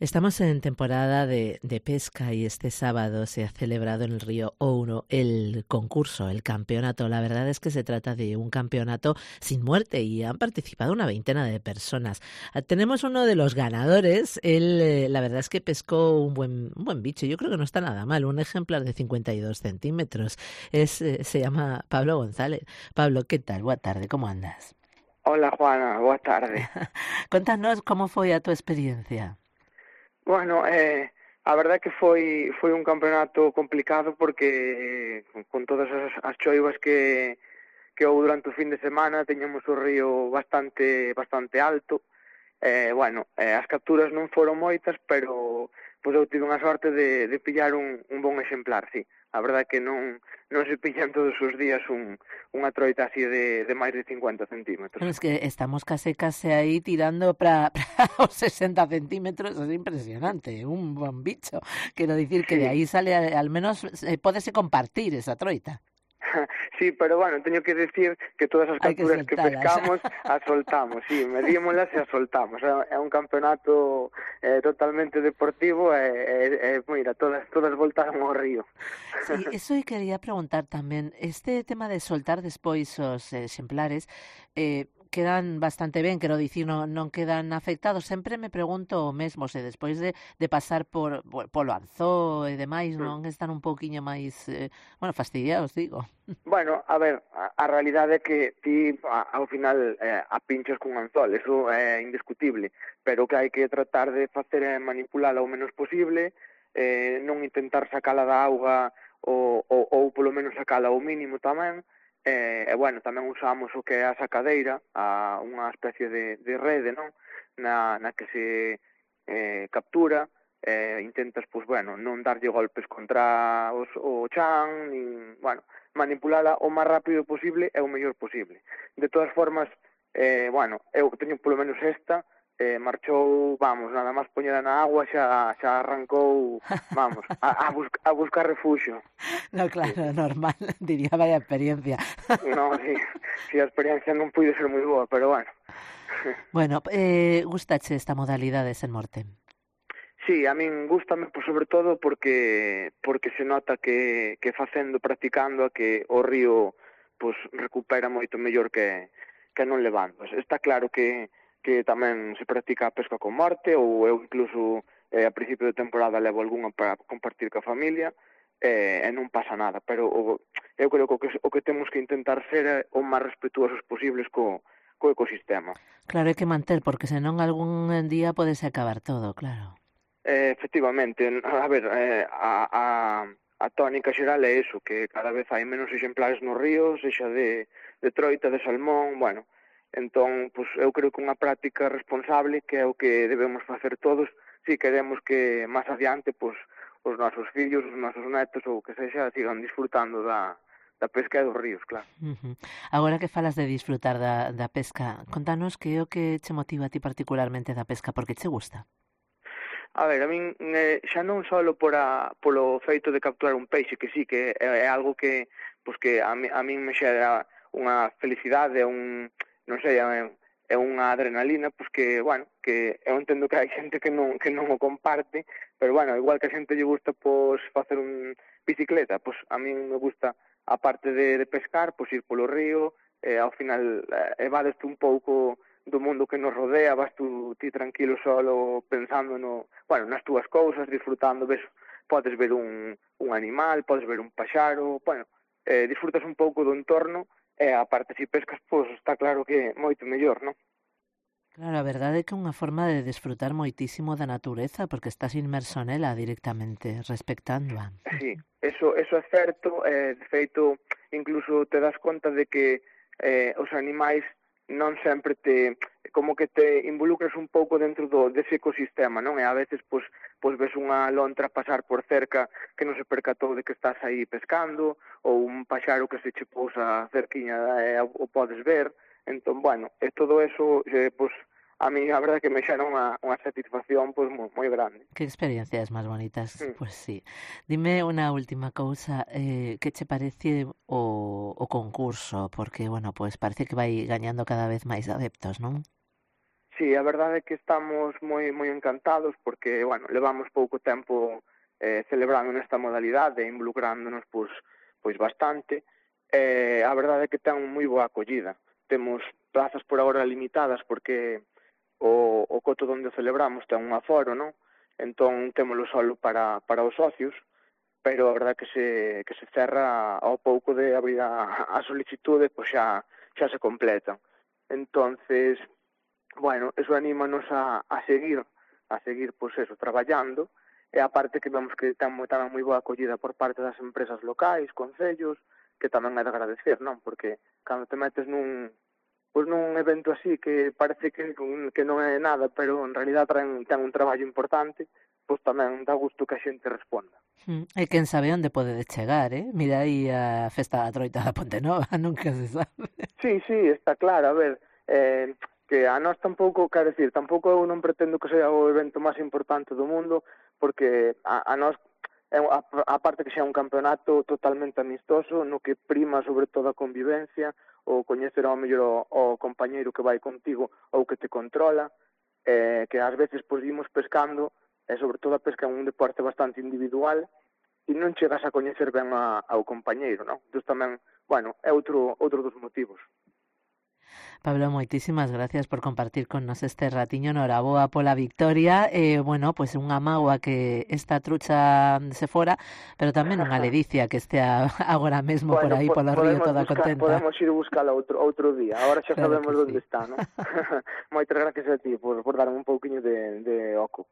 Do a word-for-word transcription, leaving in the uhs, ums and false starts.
Estamos en temporada de, de pesca y este sábado se ha celebrado en el río Ouro el concurso, el campeonato. La verdad es que se trata de un campeonato sin muerte y han participado una veintena de personas. Tenemos uno de los ganadores. Él, eh, la verdad es que pescó un buen, un buen bicho. Yo creo que no está nada mal. Un ejemplar de cincuenta y dos centímetros. Es, eh, se llama Pablo González. Pablo, ¿qué tal? Buenas tardes, ¿cómo andas? Hola, Juana, boa tarde. Contanos como foi a tua experiencia. Bueno, eh, a verdade é que foi foi un campeonato complicado porque eh, con todas as, as choivas que que houve durante o fin de semana teñamos o río bastante bastante alto. Eh, bueno, eh, as capturas non foron moitas, pero pois eu tive unha sorte de, de pillar un, un bon exemplar, sí. A verdade é que non, non se pillan todos os días un, unha troita así de, de máis de cincuenta centímetros. Bueno, es que estamos case case aí tirando para os sesenta centímetros, es impresionante, un buen bicho. Quiero decir que Sí. de aí sale, al menos, eh, pódese compartir esa troita. Sí, pero bueno, teño que decir que todas as Hai que capturas que, que soltalas. pescamos as soltamos, sí, medímolas e as soltamos. É un campeonato eh, totalmente deportivo e, e, e mira, todas todas voltaron ao río. Sí, eso eu quería preguntar tamén. Este tema de soltar despois os exemplares eh, quedan bastante ben, quero dicir, non, non quedan afectados. Sempre me pregunto o mesmo, se despois de, de pasar por polo anzó e demais, non están un pouquiño máis, eh, bueno, fastidiados, digo. Bueno, a ver, a, a realidade é que ti a, ao final eh, a pinchas cun anzol, eso é indiscutible, pero o que hai que tratar de facer é manipulala o menos posible, eh, non intentar sacala da auga ou, ou, ou polo menos sacala ao mínimo tamén, eh, e bueno, tamén usamos o que é a sacadeira, a unha especie de, de rede, non? Na, na que se eh, captura, eh, intentas, pois, bueno, non darlle golpes contra os, o chan, nin, bueno, manipulala o máis rápido posible e o mellor posible. De todas formas, eh, bueno, eu teño polo menos esta, eh, marchou, vamos, nada máis poñela na agua, xa, xa arrancou, vamos, a, a, busca, a buscar refuxio. No, claro, sí. Normal, diría, vaya experiencia. No, sí, sí, a experiencia non puide ser moi boa, pero bueno. Bueno, eh, gustache esta modalidade sen morte? Sí, a min gústame, pois, sobre todo porque porque se nota que, que facendo, practicando, a que o río pois, recupera moito mellor que, que non levando. Está claro que, que tamén se practica a pesca con morte, ou eu incluso eh, a principio de temporada levo algunha para compartir ca familia, eh, e non pasa nada, pero o, eu creo que o, que o que temos que intentar ser é o máis respetuosos posibles co, co ecosistema. Claro, hai que manter, porque senón algún día podese acabar todo, claro. Eh, efectivamente, a ver, eh, a, a, a tónica xeral é eso, que cada vez hai menos exemplares no río, sexa de, de troita, de salmón, bueno, entón, pues, eu creo que unha práctica responsable, que é o que debemos facer todos, si queremos que máis adiante, pues, os nosos fillos, os nosos netos, ou que sexa, sigan disfrutando da, da pesca e dos ríos, claro. Uh-huh. Agora que falas de disfrutar da, da pesca, contanos que é o que che motiva a ti particularmente da pesca, porque che gusta? A ver, a min eh, xa non só por a, polo feito de capturar un peixe, que sí, que é, é algo que, pues, que a, mi, a min me xera unha felicidade, un, non sei, é, é unha adrenalina, pues que, bueno, que eu entendo que hai xente que non, que non o comparte, pero, bueno, igual que a xente lle gusta, pues, facer un bicicleta, pues a min me gusta, a parte de, de pescar, pues ir polo río, eh, ao final, eh, evadeste un pouco do mundo que nos rodea, vas tú ti tranquilo solo pensando no, bueno, nas túas cousas, disfrutando, ves, podes ver un, un animal, podes ver un paxaro, bueno, eh, disfrutas un pouco do entorno e a parte se pescas, pois está claro que moito mellor, non? Claro, a verdade é que é unha forma de desfrutar moitísimo da natureza porque estás inmerso nela directamente, respectándoa. Sí, eso, eso é certo, eh, de feito, incluso te das conta de que eh, os animais non sempre te, como que te involucras un pouco dentro do dese ecosistema, non? E a veces, pois, pois ves unha lontra pasar por cerca que non se percatou de que estás aí pescando, ou un paxaro que se che pousa cerquiña e o podes ver. Entón, bueno, e todo eso, eh, pois, a mí a verdade que me xera unha, unha satisfacción pois moi, moi grande. Que experiencias máis bonitas, Mm. pues sí. Dime unha última cousa, eh, que che parece o, o concurso? Porque, bueno, pues parece que vai gañando cada vez máis adeptos, non? Sí, a verdade é que estamos moi moi encantados porque, bueno, levamos pouco tempo eh, celebrando nesta modalidade e involucrándonos pois, pois bastante. Eh, a verdade é que ten moi boa acollida. Temos plazas por agora limitadas porque o, o coto onde o celebramos ten un aforo, non? Entón témolo solo para, para os socios, pero a verdade que se, que se cerra ao pouco de abrir a, a solicitude, pois xa, xa se completa. Entonces, bueno, eso anímanos a, a seguir, a seguir, pois eso, traballando, e aparte que vemos que ten tamén moi boa acollida por parte das empresas locais, concellos, que tamén é de agradecer, non? Porque cando te metes nun, pois nun evento así que parece que, que non é nada, pero en realidad ten, ten un traballo importante, pois tamén dá gusto que a xente responda. Mm, e quen sabe onde podedes chegar, eh? Mira aí a festa da Troita da Ponte Nova, nunca se sabe. Sí, sí, está claro, a ver, eh, que a nós tampouco, quero decir, tampouco eu non pretendo que sea o evento máis importante do mundo, porque a, a nós, a, a parte que xa é un campeonato totalmente amistoso, no que prima sobre todo a convivencia, o coñecer ao mellor o, o compañeiro que vai contigo ou que te controla, eh, que ás veces pois imos pescando, e sobre todo a pesca é un deporte bastante individual, e non chegas a coñecer ben a, ao compañeiro, non? Entón tamén, bueno, é outro outro dos motivos. Pablo, moitísimas gracias por compartir con nos este ratiño. Noraboa pola victoria. Eh, bueno, pois pues unha mágoa que esta trucha se fora, pero tamén unha ledicia que estea agora mesmo bueno, por aí polo río toda buscar, contenta. Podemos ir buscala outro outro día. Agora xa claro sabemos onde sí. está, non? Moitas gracias a ti por, por darme un pouquiño de, de oco.